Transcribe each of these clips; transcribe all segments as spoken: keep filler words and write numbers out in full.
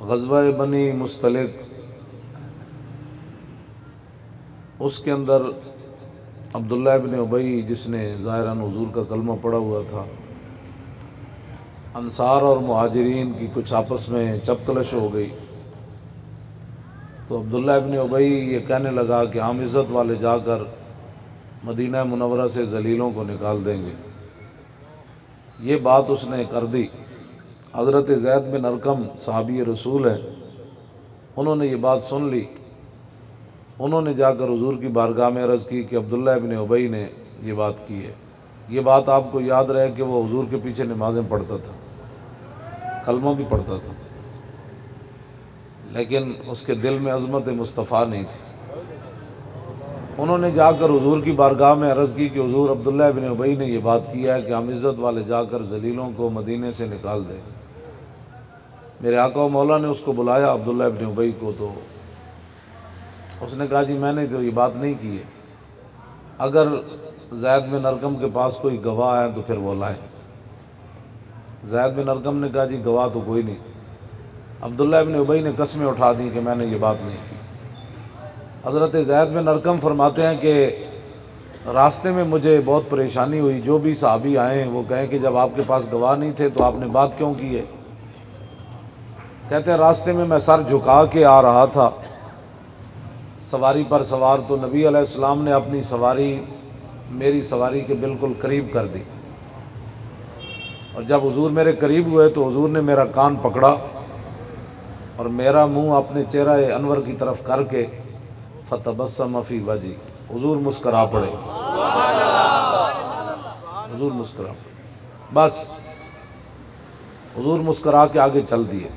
غزوہ بنی مصطلق، اس کے اندر عبداللہ ابن ابی، جس نے ظاہراً حضور کا کلمہ پڑھا ہوا تھا، انصار اور مہاجرین کی کچھ آپس میں چپکلش ہو گئی، تو عبداللہ ابن ابی یہ کہنے لگا کہ ہم عزت والے جا کر مدینہ منورہ سے ذلیلوں کو نکال دیں گے۔ یہ بات اس نے کر دی۔ حضرت زید بن ارقم صحابی رسول ہیں، انہوں نے یہ بات سن لی۔ انہوں نے جا کر حضور کی بارگاہ میں عرض کی کہ عبداللہ ابن ابی نے یہ بات کی ہے۔ یہ بات آپ کو یاد رہے کہ وہ حضور کے پیچھے نمازیں پڑھتا تھا، کلمہ بھی پڑھتا تھا، لیکن اس کے دل میں عظمت مصطفیٰ نہیں تھی۔ انہوں نے جا کر حضور کی بارگاہ میں عرض کی کہ حضور، عبداللہ ابن ابی نے یہ بات کی ہے کہ ہم عزت والے جا کر ذلیلوں کو مدینے سے نکال دیں۔ میرے آقا و مولا نے اس کو بلایا، عبداللہ ابن ابی کو، تو اس نے کہا، جی، میں نے تو یہ بات نہیں کی ہے، اگر زید بن ارقم کے پاس کوئی گواہ ہے تو پھر وہ لائیں۔ زید بن ارقم نے کہا، جی، گواہ تو کوئی نہیں۔ عبداللہ ابن ابی نے قسمیں اٹھا دی کہ میں نے یہ بات نہیں کی۔ حضرت زید بن ارقم فرماتے ہیں کہ راستے میں مجھے بہت پریشانی ہوئی، جو بھی صحابی آئے ہیں وہ کہیں کہ جب آپ کے پاس گواہ نہیں تھے تو آپ نے بات کیوں کی ہے؟ کہتے ہیں، راستے میں میں سر جھکا کے آ رہا تھا، سواری پر سوار، تو نبی علیہ السلام نے اپنی سواری میری سواری کے بالکل قریب کر دی، اور جب حضور میرے قریب ہوئے تو حضور نے میرا کان پکڑا اور میرا منہ اپنے چہرہ انور کی طرف کر کے، فتبسم فی وجہی، حضور مسکرا پڑے۔ حضور مسکرا پڑے۔ بس، حضور مسکرا کے آگے چل دیے۔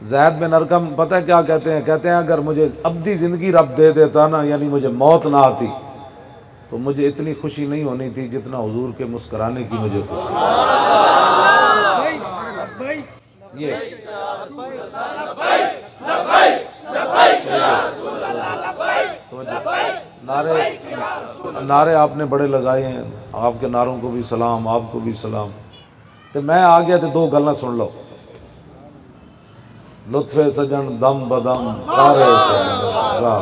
زید بن ارقم پتہ ہے کیا کہتے ہیں؟ کہتے ہیں، اگر مجھے ابدی زندگی رب دے دیتا نا، یعنی مجھے موت نہ آتی، تو مجھے اتنی خوشی نہیں ہونی تھی جتنا حضور کے مسکرانے کی مجھے خوشی۔ یہ توجہ۔ نعرے، نعرے آپ نے بڑے لگائے ہیں، آپ کے نعروں کو بھی سلام، آپ کو بھی سلام۔ تے میں آ گیا تے دو گلاں سن لو۔ لطف سجن دم بدم، کارے سجن راہ۔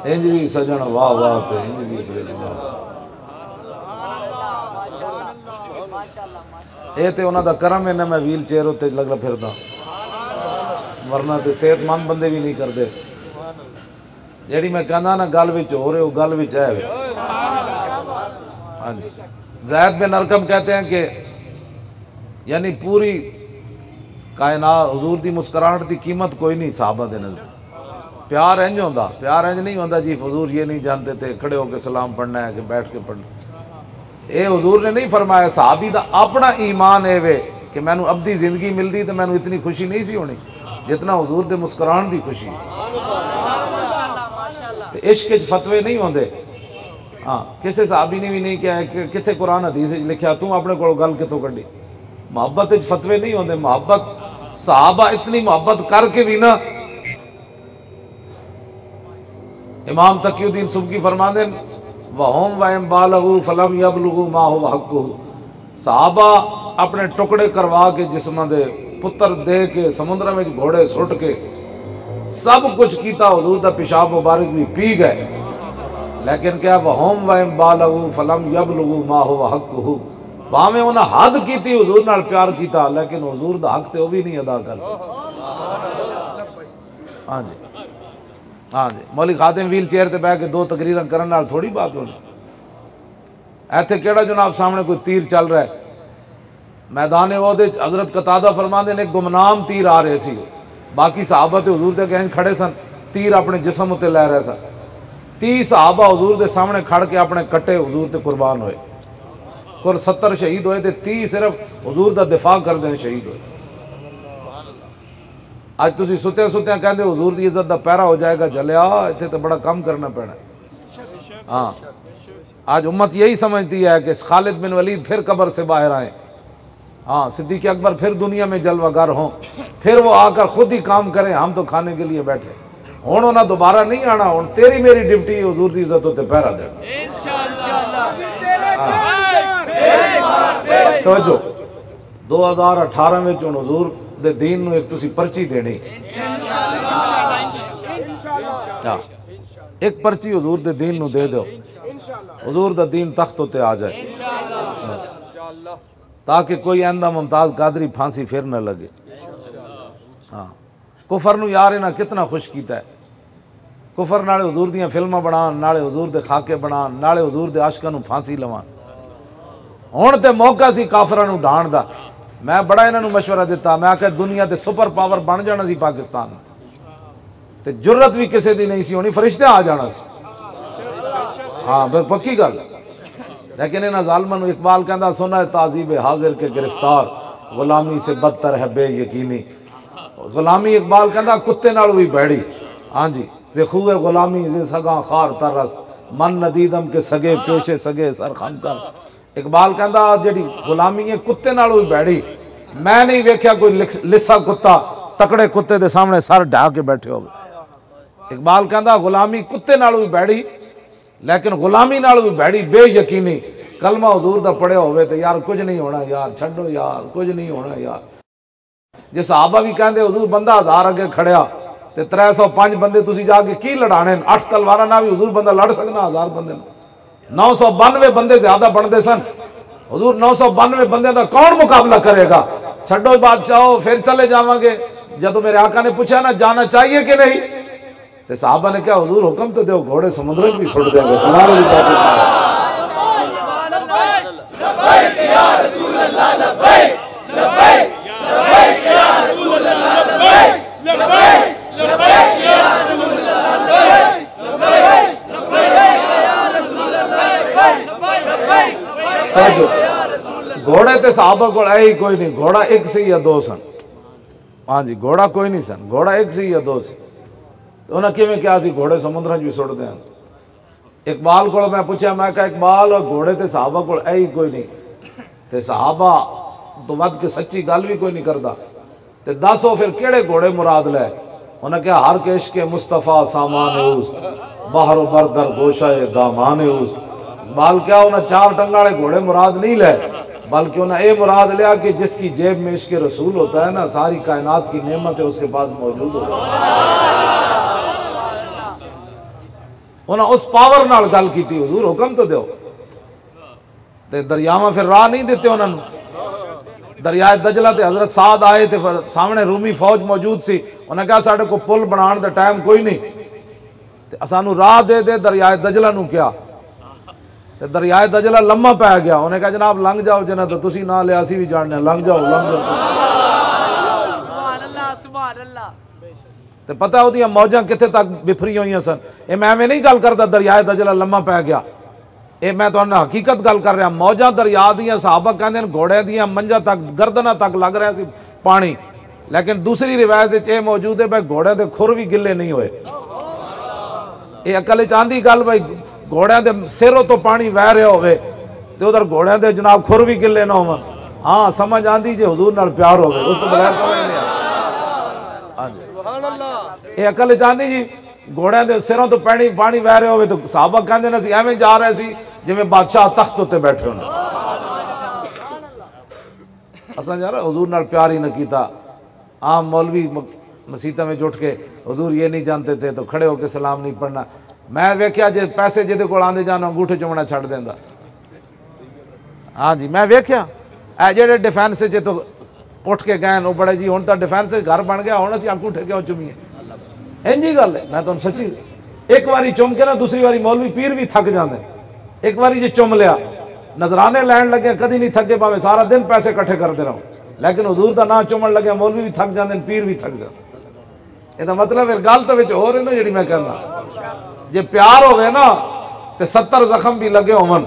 انج وی سجن واہ واہ تے انج وی سجن واہ۔ اے تے انہاں دا کرم ہے نا، میں ویل چیئر اُتے لگا پھردا، ورنہ تے صحت مند بندے وی نہیں کردے۔ جیڑی میں کہنا نا، گل وچ ہو رہے، وہ گل وچ ہے۔ ہاں جی۔ زید بن ارقم کہتے ہیں کہ یعنی پوری کائنات، حضور دی مسکراہٹ دی قیمت کوئی نہیں صحابہ دے نزدیک۔ پیار انج ہوندا، پیار انج نہیں ہوندا جی، حضور یہ نہیں جانتے تھے، کھڑے ہو کے سلام پڑھنا ہے کہ بیٹھ کے پڑھنا۔ اے حضور نے نہیں فرمایا، صحابی دا اپنا ایمان اے وے کہ مینوں ابدی زندگی ملدی تے مینوں اتنی خوشی نہیں سی ہونی جتنا حضور دے مسکران دی خوشی۔ تے عشق وچ فتوے نہیں ہوندے۔ ہاں، کسے صحابی نے بھی نہیں کہا کہ کتھے قرآن حدیث وچ لکھیا، توں اپنے کول گل کتھوں کڈی؟ محبت وچ فتوے نہیں ہوندے۔ محبت، صحابہ اتنی محبت کر کے بھی نا، امام تقی الدین سبکی فرماندے، "وَهُمْ وَإِنْ بَالَغُوا فَلَمْ يَبْلُغُوا مَا هُوَ حَقُّهُ۔" صحابہ اپنے ٹکڑے کروا کے، جسماں دے پتر دے کے، سمندر وچ گھوڑے سٹ کے، سب کچھ کیتا، حضور دا پیشاب مبارک بھی پی گئے، لیکن کیا، "وَهُمْ وَإِنْ بَالَغُوا فَلَمْ يَبْلُغُوا مَا هُوَ حَقُّهُ۔" بھاویں انہاں حد کیتی، حضور نال پیار کیتا، لیکن حضور دا حق تے وہ بھی نہیں ادا کر سکے۔ ہاں جی، ہاں جی، مولوی خادم ویل چیئر تے بیٹھ کے دو تقریراں کرن نال تھوڑی بات ہونی۔ ایتھے کیڑا جناب سامنے کوئی تیر چل رہا ہے؟ میدان احد وچ حضرت قتادہ فرماندے نے، گمنام تیر آ رہے سی، باقی صحابہ تے حضور دے اگے کھڑے سن، تیر اپنے جسم اتے لے رہے سن۔ تیس صحابہ حضور دے سامنے کھڑ کے اپنے کٹے حضور تے قربان ہوئے۔ کل ستر شہید ہوئے تے تیس صرف حضور دا دفاع کردے شہید ہوئے۔ اج تسی ستیاں ستیاں کہندے حضور دی عزت دا پیرا ہو جائے گا، جلیا، ایتھے تے بڑا کم کرنا پینا۔ ہاں، آج امت یہی سمجھتی ہے کہ خالد بن ولید پھر قبر سے باہر آئے، ہاں، صدیق اکبر پھر دنیا میں جلوہ گر ہوں، پھر وہ آ کر خود ہی کام کریں، ہم تو کھانے کے لیے بیٹھے۔ ہن انہاں دوبارہ نہیں آنا، ہن تیری میری ڈیوٹی حضور دی عزت تے پہرا دینا۔ ہاں۔ توجہ۔ دو ہزار اٹھارہ وچ ہن حضور دے دین نوں ایک تسی پرچی دینی۔ ہاں۔ ایک پرچی حضور دے دین نوں دے دیو۔ حضور دا دین تخت اُتے آ جائے۔ تاکہ کوئی آئندہ ممتاز قادری پھانسی پھر نہ لگے۔ ہاں۔ کفر نو یار انہاں کتنا خوش کیتا ہے۔ کفر نالے حضور دیاں فلماں بنان، نالے حضور دے خاکے بنان، نالے حضور دے عاشقاں نو پھانسی لوان۔ ہن تے موقع سی کافراں نو ڈھان دا۔ میں بڑا انہاں نو مشورہ دتا، میں آکھیا دنیا تے سپر پاور بن جانا سی پاکستان، تے جرت بھی کسے دی نہیں سی ہونی، فرشتیاں آ جانا سی۔ ہاں، بس پکی گل۔ لیکن انہاں ظالماں نو اقبال کہندا، سنا ہے تہذیب حاضر کے گرفتار، غلامی سے بدتر ہے بے یقینی۔ غلامی، اقبال کہندا، کتے نال بھی بھڑی۔ ہاں جی، تے خوہ غلامی زے سگاں خار ترس، من ندیدم کے سگے پیش سگے سر خم کر۔ اقبال کہندا، جڑی غلامی ہے کتے نال بھی بھڑی۔ میں نہیں ویکھیا کوئی لس-، لسا کتا تکڑے کتے دے سامنے سر ڈھا کے بیٹھے ہوئے۔ اقبال کہندا، غلامی کتے نال بھی بھڑی، لیکن غلامی نال بھی بھڑی بے یقینی۔ کلمہ حضور دا پڑھیا ہوئے تے یار کچھ نہیں ہونا یار، چھڈو یار، کچھ نہیں ہونا یار۔ جے صحابہ بھی کہندے، حضور، بندہ ہزار اگے کھڑیا تے ترے سو پنج بندے تسی جا کے کی لڑانے نے؟ اٹھ تلواراں نال بھی، حضور، بندہ لڑ سکنا ہزار بندے نال؟ نو سو بانوے بندے زیادہ بندے سن۔ حضور، نو سو بانوے بندے دا کون مقابلہ کرے گا؟ چھڈو بادشاہو، پھر چلے جاواں گے۔ جدوں میرے آقا نے پوچھا نا، جانا چاہیے کہ نہیں؟ تے صحابہ نے کہا، حضور، حکم تو دیو، گھوڑے سمندر وچ بھی سٹ دیں گے، تمہارے بھی باتیں کریں گے۔ توجہ۔ گھوڑے تے صحابہ کول ہے ہی کوئی نہیں، گھوڑا ایک سی یا دو سن۔ ہاں جی، گھوڑا کوئی نہیں سن، گھوڑا ایک سی یا دو سی۔ تے انہاں کیویں کہیا سی گھوڑے سمندراں 'چ بھی سٹدے ہن؟ اقبال کول میں پوچھیا، میں کہا، اقبال، گھوڑے تے صحابہ کول ہے ہی کوئی نہیں، تے صحابہ تو ود کے سچی گل بھی کوئی نہیں کردا، تے دس او پھر کیڑے گھوڑے مراد لے؟ انہاں کہا، ہر کے عشق مصطفیٰ سامان اوست، بحر و بر در گوشہ دامان اوست۔ اقبال کہا، انہاں چار ٹنگاں والے گھوڑے مراد نہیں لے، بلکہ انہاں اے مراد لیا کہ جس کی جیب میں عشق رسول ہوتا ہے نا، ساری کائنات کی نعمتیں اس کے پاس موجود ہوتی ہیں۔ انہاں اس پاور نال گل کیتی، حضور، حکم تو دیو۔ تے دریاواں پھر راہ نہیں دتے انہاں نوں۔ دریائے دجلہ تے حضرت سعد آئے تے ف-، سامنے رومی فوج موجود سی۔ انہاں کہا، ساڈے کو پل بنان دا ٹائم کوئی نہیں، تے اسانوں راہ دے دے، دریائے دجلہ نوں کیا۔ تے دریائے دجلہ لمحہ پے گیا۔ انہاں کہا، جناب، لنگ جاؤ، جنہاں تو تسی نہ لیا، اسی بھی جاننے، لنگ جاؤ، لنگ جاؤ۔ سبحان اللہ، سبحان اللہ۔ تے پتہ اودیاں موجاں کتھے تک بفری ہوئیاں سن۔ اے میں ایویں نہیں گل کردا، دریائے دجلہ لمحہ پے گیا۔ اے میں تہانوں حقیقت گل کر رہا، موجاں دریا دیاں، صحابہ کہندے نے گھوڑے دیاں منجاں تک، گردناں تک لگ رہا سی پانی۔ لیکن دوسری روایت وچ اے موجود ہے بھئی گھوڑے دے کھر بھی گلے نہیں ہوئے۔ اے عقل وچ آندی گل بھئی گھوڑے دے سروں تو پانی وہ رہا ہوئے تے ادھر گھوڑے دے جناب کھر بھی گلے نہ ہون؟ ہاں، سمجھ آندی جے حضور نال پیار ہوئے، اس تو بغیر سمجھ نہیں آندی۔ ہاں جی۔ اے عقل وچ آندی جی؟ گھوڑیاں دے سراں تو پانی، پانی وہ رہے ہوئے تو صحابہ کہندے نے، "اسی ایویں جا رہے سی جویں بادشاہ تخت اُتے بیٹھے ہوئے۔" اساں یار حضور نال پیار ہی نہ کیتا۔ عام مولوی م-، مسیتاں وچ اٹھ کے، "حضور یہ نہیں جانتے تھے" تو کھڑے ہو کے سلام نہیں پڑھنا۔ میں ویکھیا جے پیسے جدے کول آندے جان، انگوٹھے چومنا چھڈ دیندا۔ ہاں جی، میں ویکھیا، اے جڑے ڈیفنس وچ تو اٹھ کے گئے، وہ بڑے جی، ہن تاں ڈیفنس وچ گھر بن گیا، ہن اسی انگوٹھے کیوں چومیے؟ انجی گل ہے، میں تانوں سچی، ایک واری چوم کے نا، دوسری واری مولوی پیر بھی تھک جاندے۔ ایک واری جے چوم لیا، نذرانے لین لگے، کدی نہیں تھکے، بھاویں سارا دن پیسے اکٹھے کردے رہو، لیکن حضور دا نام چومن لگے، مولوی بھی تھک جاندے، پیر بھی تھک جاندے۔ یہ مطلب، ایک گل تو وچ ہو رہی نا، جڑی میں کہنا، جے پیار ہوئے نا، تے ستر زخم بھی لگے ہون،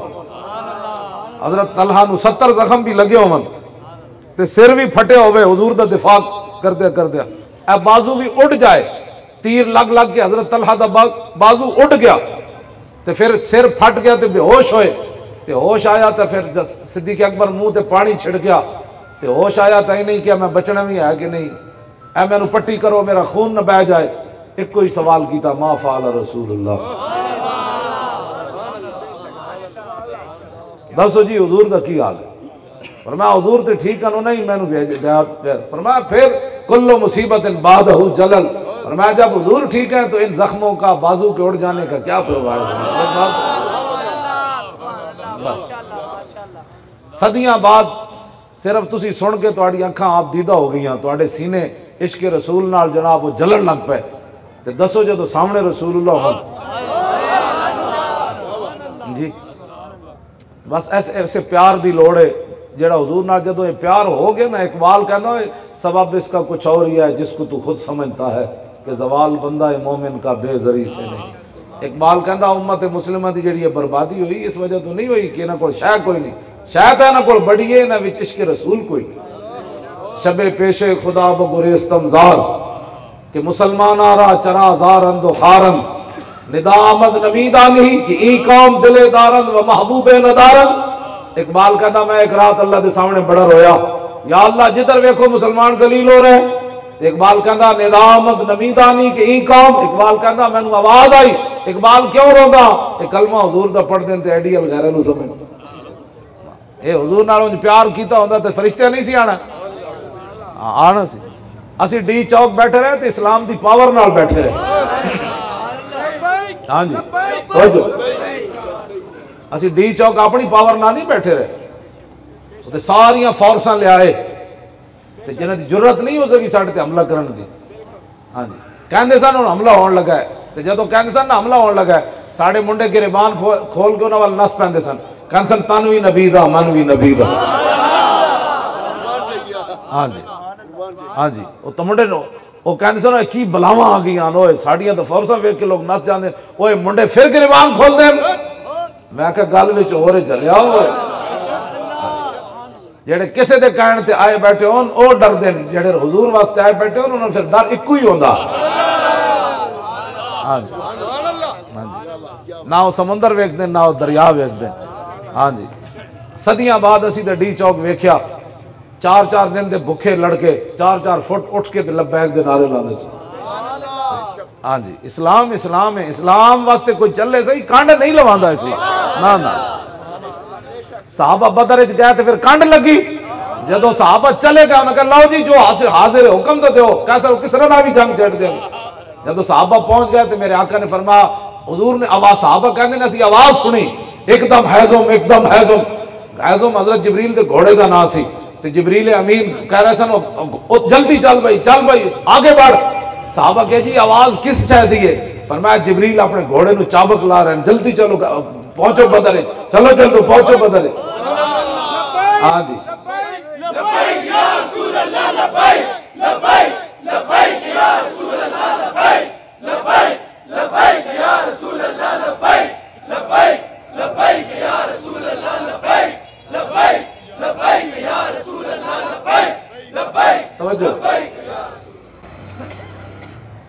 حضرت طلحہ نو ستر زخم بھی لگے ہون، تے سر بھی پھٹے ہوئے، حضور دا دفاع کردے کردے اے بازو بھی اڈ جائے، تیر لگ لگ کے حضرت طلحہ دا با-، بازو اڈ گیا، تے پھر سر پھٹ گیا تے بے ہوش ہوئے، تے ہوش آیا تے پھر جس-، صدیق اکبر منہ تے پانی چھڑکیا، تے ہوش آیا تے نہیں کیا میں بچنا بھی ہے کہ نہیں، اے مینوں پٹی کرو، میرا خون نہ بہ جائے۔ ایک کوئی سوال کیتا، "ما فعل رسول اللہ؟" دسو جی، حضور دا کی حال ہے؟ فرمایا، "حضور تے ٹھیک ہیں، انہوں نے ہی مینوں بھیج دیا۔" فرمایا، "پھر کل مصیبت بعدہ جلل۔" فرمایا، "جب حضور ٹھیک ہیں تو ان زخموں کا، بازو کے اڑ جانے کا کیا پرواہ ہے؟" بس، بس۔ صدیاں بعد صرف تسی سن کے تہاڈی اکھاں آپ دیدہ ہو گئیاں، تہاڈے سینے عشق رسول نال جناب وہ جلن لگ پے۔ تے دسو جدوں سامنے رسول اللہ ہون۔ جی، بس ایسے، ایسے پیار دی لوڑ ہے۔ جڑا حضور نال جدوں یہ پیار ہو گیا نا، اقبال کہندا ہوئے، "سبب اس کا کچھ اور ہی ہے جس کو تو خود سمجھتا ہے، کہ زوال بندہ مومن کا بے زری سے نہیں۔" اقبال کہندا، امت مسلمہ دی جڑی یہ بربادی ہوئی، اس وجہ تو نہیں ہوئی کہ انہاں کول شے کوئی نہیں، شے تاں انہاں کول بڑی ہے، انہاں وچ عشق رسول کوئی نہیں۔ شب پیش خدا بگریستم زار، کہ مسلمان آ رہا چرا زارند و خارند، ندا آمد نمیدانی کہ ای قوم دل دارند و محبوب ندارند۔ اقبال کہندا، میں ایک رات اللہ دے سامنے بڑا رویا، یا اللہ، جدھر ویکھو مسلمان ذلیل ہو رہے۔ تے اقبال کہندا، ندا آمد نمیدانی کہ ای قوم، اقبال کہندا، مینوں آواز آئی، اقبال کیوں روندا؟ اے کلمہ حضور دا پڑھ دین تے آئیڈیل غیرے نوں سمجھ۔ اے حضور نال انج پیار کیتا ہوندا تے فرشتیاں نہیں سی آنا؟ ہاں، آنا سی۔ اسی ڈی چوک بیٹھے رہے تے اسلام دی پاور نال بیٹھے رہے۔ ہاں جی، توجہ۔ اسی ڈی چوک اپنی پاور نال نہیں بیٹھے رہے، وہ تے ساریاں فورساں لے آئے۔ تے جنہاں دی جرات نہیں ہو سکی ساڈے تے حملہ کرن دی۔ ہاں جی، کہندے سن ہن حملہ ہون لگا ہے۔ تے جدوں کہندے سن نا حملہ ہون لگا ہے، ساڈے منڈے گریبان کھو-، کھول کے انہاں ول نس پیندے سن۔ کہندے سن، "تن وی نبی دا، من وی نبی دا۔" ہاں جی، ہاں جی، او تو منڈے نو، او کہندے سن، "اے کی بلاواں آ گئیاں نو، ساڈیاں تو فورساں ویکھ کے لوگ نس جاندے۔" اوئے منڈے پھر گریبان کھول دے۔ میں کہا، "گل وچ ہو رہے جلیا ہوئے۔" جڑے کسے دے کہن تے آئے بیٹھے ہون، او ڈر دین۔ جڑے حضور واسطے آئے بیٹھے ہون، انہاں نوں پھر ڈر اکو ہی ہوندا۔ ہاں جی۔ ہاں جی۔ نہ او سمندر ویکھدے، نہ او دریا ویکھدے۔ ہاں جی۔ صدیاں بعد اسی تے ڈی چوک ویکھیا، چار چار دن دے بھکھے لڑکے چار چار فٹ اٹھ کے تے لبیک دے نعرے لاندے۔ ہاں جی، اسلام، اسلام ہے۔ اسلام واسطے کوئی چلے صحیح، کنڈ نہیں لواندا اسلام۔ نہ، نہ۔ صحابہ بدر وچ گئے تے پھر کنڈ لگی۔ جدوں صحابہ چلے گئے، انہاں کہا، "لو جی، جو حاضر، حاضر ہے، حکم تو دیو، کیسا کس طرح نہ بھی جنگ چھڑ دیں۔" جدوں صحابہ پہنچ گئے تے میرے آقا نے فرمایا، حضور نے آواز، صحابہ کہندے نے، اسی آواز سنی، ایک دم ہیزم، ایک دم ہیزم۔ ہیزم حضرت جبریل دے گھوڑے دا نام سی۔ تے جبریل امین کہہ رہے سن، "او، او، جلدی چل بھائی، چل بھائی، آگے بڑھ۔" صحابہ کہے، "جی، آواز کس شے دی ہے؟" فرمایا، "جبریل اپنے گھوڑے نو چابک لا رہے ہیں، جلدی چلو، پہنچو بدر وچ، چلو جلدی پہنچو بدر وچ۔" ہاں جی۔ لبیک یا رسول اللہ، لبیک، لبیک، لبیک یا رسول اللہ، لبیک، لبیک، لبیک یا رسول اللہ، لبیک، لبیک، لبیک یا رسول اللہ، لبیک، لبیک، لبیک یا رسول اللہ، لبیک، لبیک، توجہ۔ لبیک یا رسول اللہ۔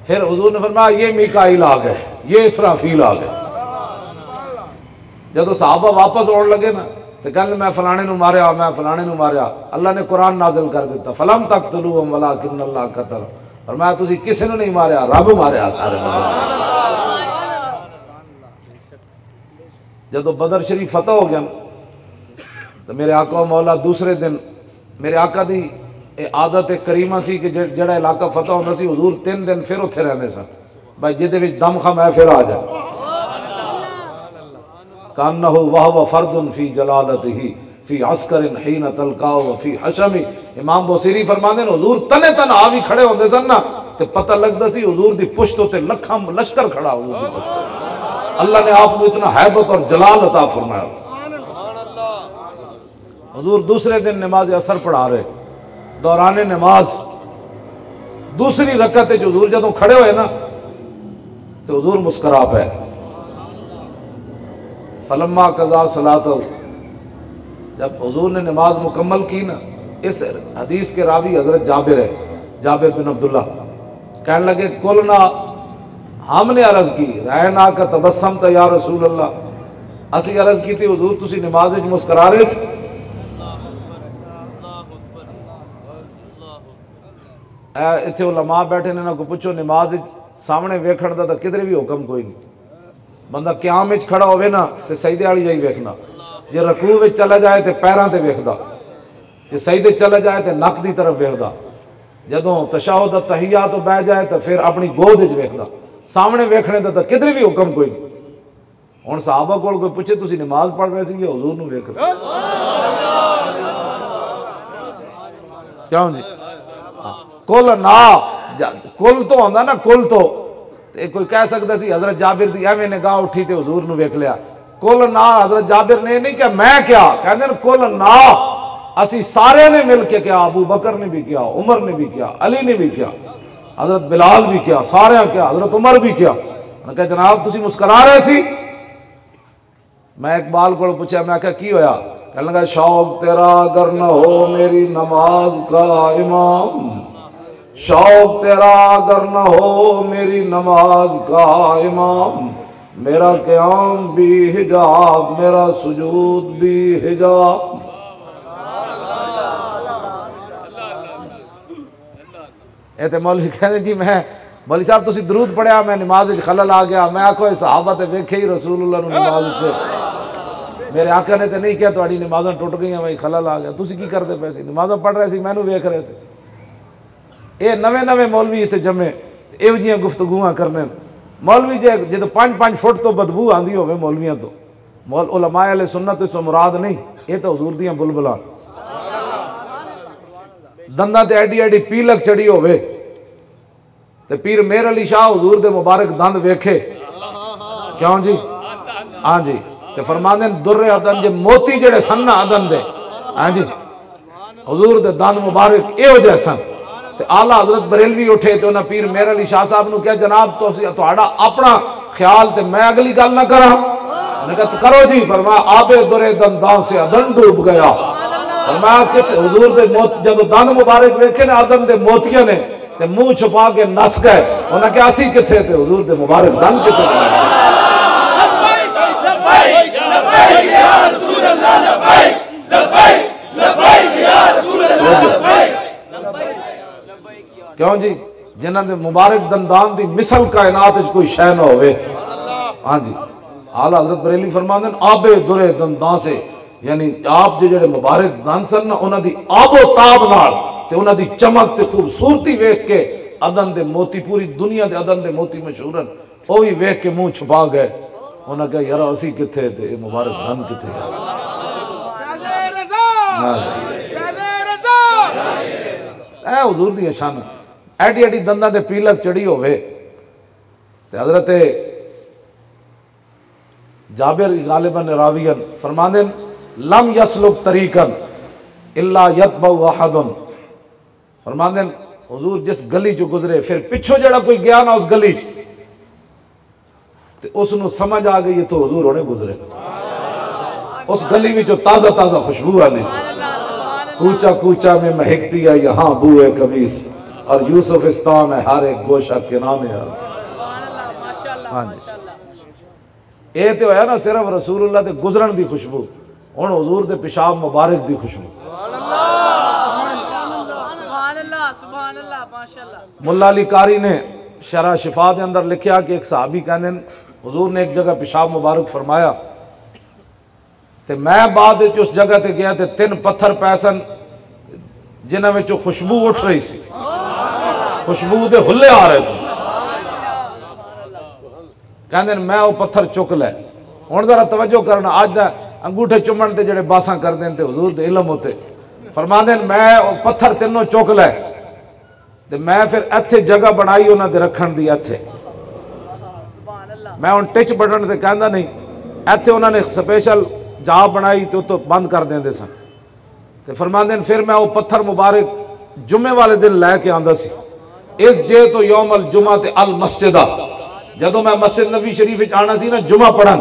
پھر حضور نے فرمایا، "یہ میکائیل آ گئے، یہ اسرافیل آ گئے۔" جدوں صحابہ واپس آن لگے نا، تو کہنے، "میں فلانے نو ماریا، میں فلانے نو ماریا۔" اللہ نے قرآن نازل کر دیتا، "فلم تقتلوہم ولکن اللہ قتل۔" فرمایا، "تسی کسے نو نہیں ماریا، رب ماریا سارے نو۔" جدوں بدر شریف فتح ہو گیا نا، تو میرے آقا و مولا دوسرے دن، میرے آقا دی اے عادت کریمہ سی کہ جڑ-، جڑا علاقہ فتح ہوندا سی، حضور تین دن پھر اتھے رہندے سن۔ بھائی، جدے وچ دم خم ہے، پھر آ جائے۔ کانہ وہو فرد فی جلالتہ فی عسکر حین تلقاہ فی حشم۔ امام بوسیری فرماندے نے، حضور تنے تن آ بھی کھڑے ہوندے سن نا، تے پتہ لگدا سی حضور دی پشت تے لکھاں لشکر کھڑا، حضور دی پشت۔ اللہ نے آپ کو اتنا ہیبت اور جلال عطا فرمایا۔ حضور دوسرے دن نماز اثر پڑھا رہے، دوران نماز دوسری رکعت وچ حضور جدوں کھڑے ہوئے نا، تو حضور مسکرا پے۔ فلما قضا صلاۃ، جب حضور نے نماز مکمل کی نا، اس حدیث کے راوی حضرت جابر ہے، جابر بن عبداللہ۔ کہنے لگے، "قلنا"، ہم نے عرض کی، "رأیناک تبسمت یا رسول اللہ"، اسی عرض کی تھی، "حضور، تسی نماز وچ مسکرا رہے سی؟" اے اتھے علماء بیٹھے نے، انہاں کو پوچھو، نماز وچ سامنے ویکھن دا تاں کدھر بھی حکم کوئی نہیں۔ بندہ قیام وچ کھڑا ہوے نا، تے سجدے والی جائی ویکھنا، جے رکوع وچ چلا جائے تے پیراں تے ویکھدا۔ کہ سجدے چلا جائے تے نک دی طرف ویکھدا، جدوں تشہد التحیات تو بہ جائے تے پھر اپنی گود وچ ویکھدا۔ سامنے ویکھنے دا تاں کدھر بھی حکم کوئی نہیں۔ ہن صحابہ کول کوئی پوچھے، "تسی نماز پڑھ رہے سی یا حضور نو ویکھ رہے؟" کیوں جی؟ ہاں۔ کل نہ، جا-، کل تو ہوندا نا، کل تو۔ تے کوئی کہہ سکدا سی، حضرت جابر دی ایویں نگاہ اٹھی تے حضور نو ویکھ لیا۔ کل نہ، حضرت جابر نے نہیں کہا، میں کیا؟ کہندے نے، "کل نہ، اسی سارے نے مل کے کیا، ابو بکر نے بھی کیا، عمر نے بھی کیا، علی نے بھی کیا، حضرت بلال بھی کیا، سارے کیا، حضرت عمر بھی کیا۔" انہاں کہا، "جناب، تسی مسکرا رہے سی؟" میں اقبال کو پوچھا، میں کہا، "کی ہویا؟" کہنے لگا، "شوق تیرا اگر نہ ہو میری نماز کا امام، شوق تیرا اگر نہ ہو میری نماز کا امام، میرا قیام بھی حجاب، میرا سجود بھی حجاب۔" اے تے مولوی کہندے، "جی میں، مولوی صاحب، تسی درود پڑھیا، میں نماز وچ خلل آ گیا۔" میں آکھو، "اے صحابہ تے ویکھے ہی رسول اللہ نو نماز وچ، میرے آقا نے تے نہیں کہا تہاڈی نمازاں ٹوٹ گئیاں، میں خلل آ گیا، تسی کی کردے پئے سی؟ نمازاں پڑھ رہے سی، مینوں ویکھ رہے سی۔" اے نویں نویں مولوی اتھے جمے، تے ایہو جیاں گفتگواں کرنے۔ مولوی جے جدوں پنج پنج فٹ تو بدبو آندی ہوے مولویاں تو، مول-، علماء اہل سنت اس مراد نہیں، اے تے حضور دیاں بلبلاں۔ دنداں تے ایڈی ایڈی پیلک چڑھی ہوے، تے پیر مہر علی شاہ حضور دے مبارک دند ویکھے۔ کیوں جی؟ ہاں جی۔ تے فرماندے نے، در عدن جے موتی جڑے سن نا عدن دے، ہاں جی، حضور دے دند مبارک ایہو جے سن۔ تے اعلیٰ حضرت بریلوی اٹھے تے انہاں پیر مہر علی شاہ صاحب نو کہیا، "جناب، تسی، تہاڈا اپنا خیال تے میں اگلی گل نہ کراں۔" انہاں کہا، "کرو جی۔" فرمایا، "آب درے دنداں سے عدن ڈوب گیا۔" فرمایا کہ حضور دے موت، جب دند مبارک ویکھے نا عدن دے موتیاں نے، تے منہ چھپا کے نس گئے۔ انہاں کہا، "اسی کتھے تے حضور دے مبارک دند کتھے؟" کیوں جی؟ جنہاں دے مبارک دندان دی مثل کائنات وچ کوئی شے نہ ہوئے۔ ہاں جی، اعلیٰ حضرت بریلی فرماندے نے، "آب درے دندان سے"، یعنی آپ جے جڑے مبارک دند سن نا، انہاں دی آب و تاب نال تے انہاں دی چمک تے خوبصورتی ویکھ کے عدن دے موتی، پوری دنیا دے عدن دے موتی مشہور ہن، او وی ویکھ کے منہ چھپا گئے۔ انہاں کہا، "یار، اسی کتھے تے اے مبارک دند کتھے؟" ہاں۔ اے حضور دی شان، ایڈی ایڈی دنداں تے پیلک چڑھی ہووے۔ تے حضرت جابر غالباً راوی ہن، فرماندے نے، "لم یسلک طریقاً الا یتبع احد۔" فرماندے نے، حضور جس گلی چوں گزرے، پھر پچھوں جڑا کوئی گیا نا اس گلی چ، تے اس نو سمجھ آ گئی، اتھوں حضور ہونے گزرے۔ اس گلی وچوں تازہ تازہ خوشبو آندی سی۔ کوچہ کوچہ میں مہکتی ہے یہاں بوئے قمیص، اور یوسفستان ہے ہر ایک گوشہ کنعان ہے۔ ہاں جی۔ اے تے ہویا نا صرف رسول اللہ دے گزرن دی خوشبو، ہن حضور دے پیشاب مبارک دی خوشبو۔ سبحان اللہ، سبحان اللہ، ماشاءاللہ۔ ملا علی قاری نے شرح شفا دے اندر لکھیا کہ ایک صحابی کہندے نے، حضور نے ایک جگہ پیشاب مبارک فرمایا، تے میں بعد وچ اس جگہ تے گیا تے تین پتھر پے سن جنہاں وچوں خوشبو اٹھ رہی سی، خوشبو دے حلے آ رہے سن۔ کہندے نے، "میں او پتھر چک لے۔" ہن ذرا توجہ کرنا، اج دا انگوٹھے چمن تے جڑے باساں کردے نے تے حضور دے علم ہوتے، فرماندے نے، "میں او پتھر تینوں چک لے تے میں پھر ایتھے جگہ بنائی انہاں دے رکھن دی، ایتھے میں ہن ٹچ بٹن تے کہندا نہیں، ایتھے انہاں نے سپیشل جا بنائی تے اتوں بند کر دیندے سن۔" تے فرماندے نے، "پھر میں او پتھر مبارک جمعے والے دن لے کے آندا سی، اس جے تو یوم الجمعہ تے المسجد آ۔" جدوں میں مسجد نبی شریف وچ آنا سی نا جمعہ پڑھن،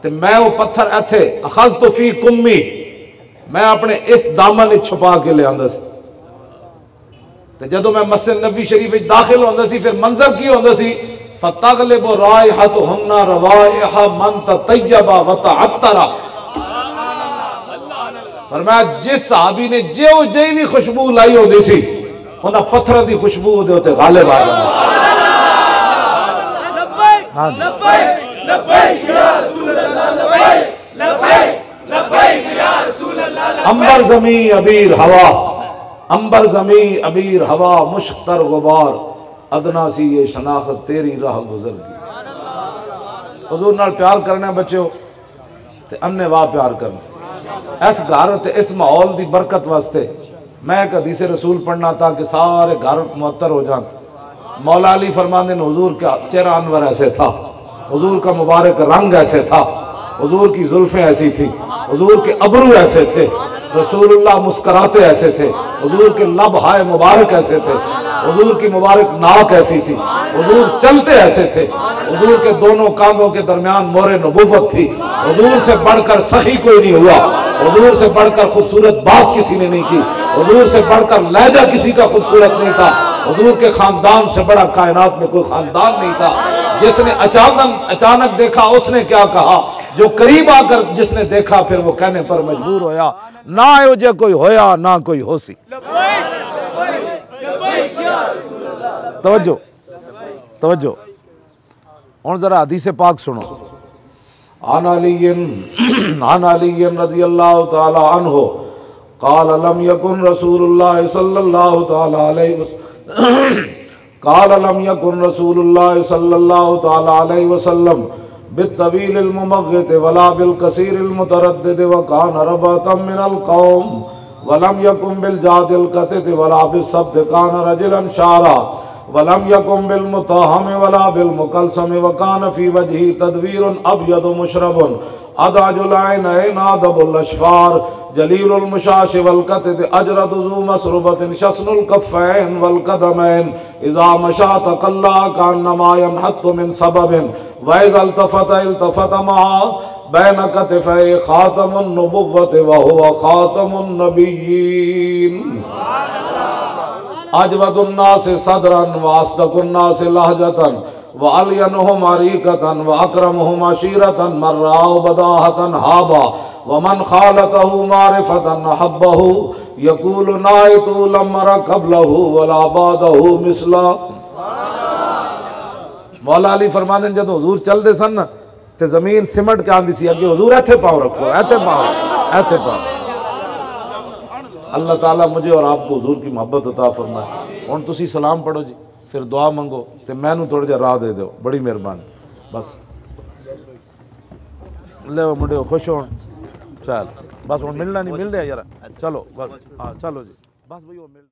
تے میں او پتھر ایتھے اخذت فی کمی، میں اپنے اس دامن وچ چھپا کے لے آندا سی۔ تے جدوں میں مسجد نبی شریف وچ داخل ہوندا سی، پھر منظر کی ہوندا سی؟ "فتغلب رائحتہن روائح من تطیب وتعطر۔" فرمایا، جس صحابی نے جیو جئی بھی خوشبو لائی ہوندی سی، انہاں پتھراں دی خوشبو دے اُتے غالب آ جاندی۔ ہاں جی۔ لبیک، لبیک یا رسول اللہ، لبیک، لبیک، لبیک یا رسول اللہ، امبر زمین ابیر ہوا، امبر زمین ابیر ہوا، مشک تر غبار، ادنا سی یہ شناخت تیری راہ گزر گئی۔ حضور نال پیار کرنا بچیو، تے انے واہ پیار کرنا۔ اس گھر تے اس ماحول دی برکت واسطے میں ایک حدیث رسول پڑھنا تاکہ سارے گھر معطر ہو جان۔ مولا علی فرماندے نے، حضور کا چہرہ انور ایسے تھا، حضور کا مبارک رنگ ایسے تھا، حضور کی زلفیں ایسی تھی، حضور کے ابرو ایسے تھے، رسول اللہ مسکراتے ایسے تھے، حضور کے لب ہائے مبارک ایسے تھے، حضور کی مبارک ناک ایسی تھی، حضور چلتے ایسے تھے، حضور کے دونوں کاندھوں کے درمیان مور نبوت تھی۔ حضور سے بڑھ کر سخی کوئی نہیں ہوا، حضور سے بڑھ کر خوبصورت بات کسی نے نہیں کی، حضور سے بڑھ کر لہجہ کسی کا خوبصورت نہیں تھا، حضور کے خاندان سے بڑا کائنات میں کوئی خاندان نہیں تھا۔ جس نے اچانک اچانک دیکھا، اس نے کیا کہا؟ جو قریب آ کر جس نے دیکھا، پھر وہ کہنے پر مجبور ہویا، نہ ایہو جہا کوئی ہویا، نہ کوئی ہو سی۔ توجہ، توجہ۔ ہن ذرا حدیث پاک سنو۔ عن علی، عن علی رضی اللہ تعالی عنہ قال، لم يكن رسول الله صلى الله تعالى عليه وسلم قال، لم يكن رسول الله صلى الله تعالى عليه وسلم بالطويل الممغط ولا بالقصير المتردد، وكان ربعة من القوم، ولم يكن بالجعد القطط ولا بالسبط، كان رجلا شعرا، ولم يكن بالمتاهم ولا بالمكلسم، وكان في وجهه تدوير أبيض مشرب، أدعج العينين أدب الأشفار، جليل المشاش والكتد، أجرد ذو مسربة، شسن الكفين والقدمين، إذا مشى تقلع كأنما ينحط من سبب، وإذا التفت التفت مع بين كتفيه خاتم النبوة وهو خاتم النبيين. أجود الناس صدرا وأصدق الناس لهجة وألينهم عريكة وأكرمهم عشيرة، من رآه بداهة هابا ومن خالطه معرفة أحبه، يقول نعيت لم أر قبله ولا بعده مثله. مولا علی فرماندے نے، جدوں حضور چلدے سن نا، تے زمین سمٹ کے آندی سی، اگے حضور ایتھے پاؤں رکھو، ایتھے پاؤں، ایتھے پاؤں۔ اللہ تعالیٰ مجھے اور آپ کو حضور کی محبت عطا فرمائے۔ ہن تسی سلام پڑھو جی، پھر دعا منگو، تے مینوں تھوڑا جہا راہ دے دیو، بڑی مہربانی۔ بس لے منڈے خوش ہون۔ چل، بس ہن ملنا نہیں، مل رہا یار۔ چلو بس، ہاں چلو جی، بس بھائی، وہ مل